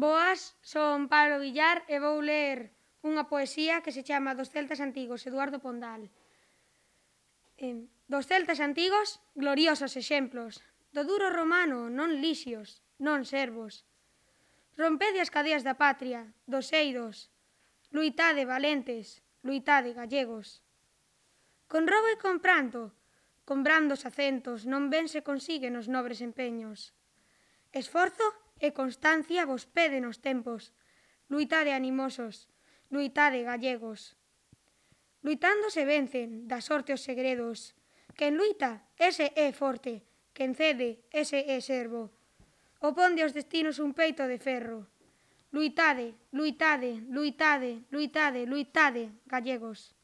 Boas, son Pablo Villar e vou ler unha poesía que se chama Dos celtas antigos, Eduardo Pondal. Dos celtas antigos, gloriosos exemplos, do duro romano, non lixios, non servos. Rompede as cadeas da patria, dos eidos, luitade valentes, luitade gallegos. Con robo e con pranto, con brandos acentos, non ben se consiguen os nobres empeños. Esforzo e constancia vos peden os tempos. Luitade animosos, luitade gallegos. Luitando se vencen, da sorte os segredos. Quen luita, ese é forte, quen cede, ese é servo. Oponde aos destinos un peito de ferro. Luitade, luitade, luitade, luitade, luitade, gallegos.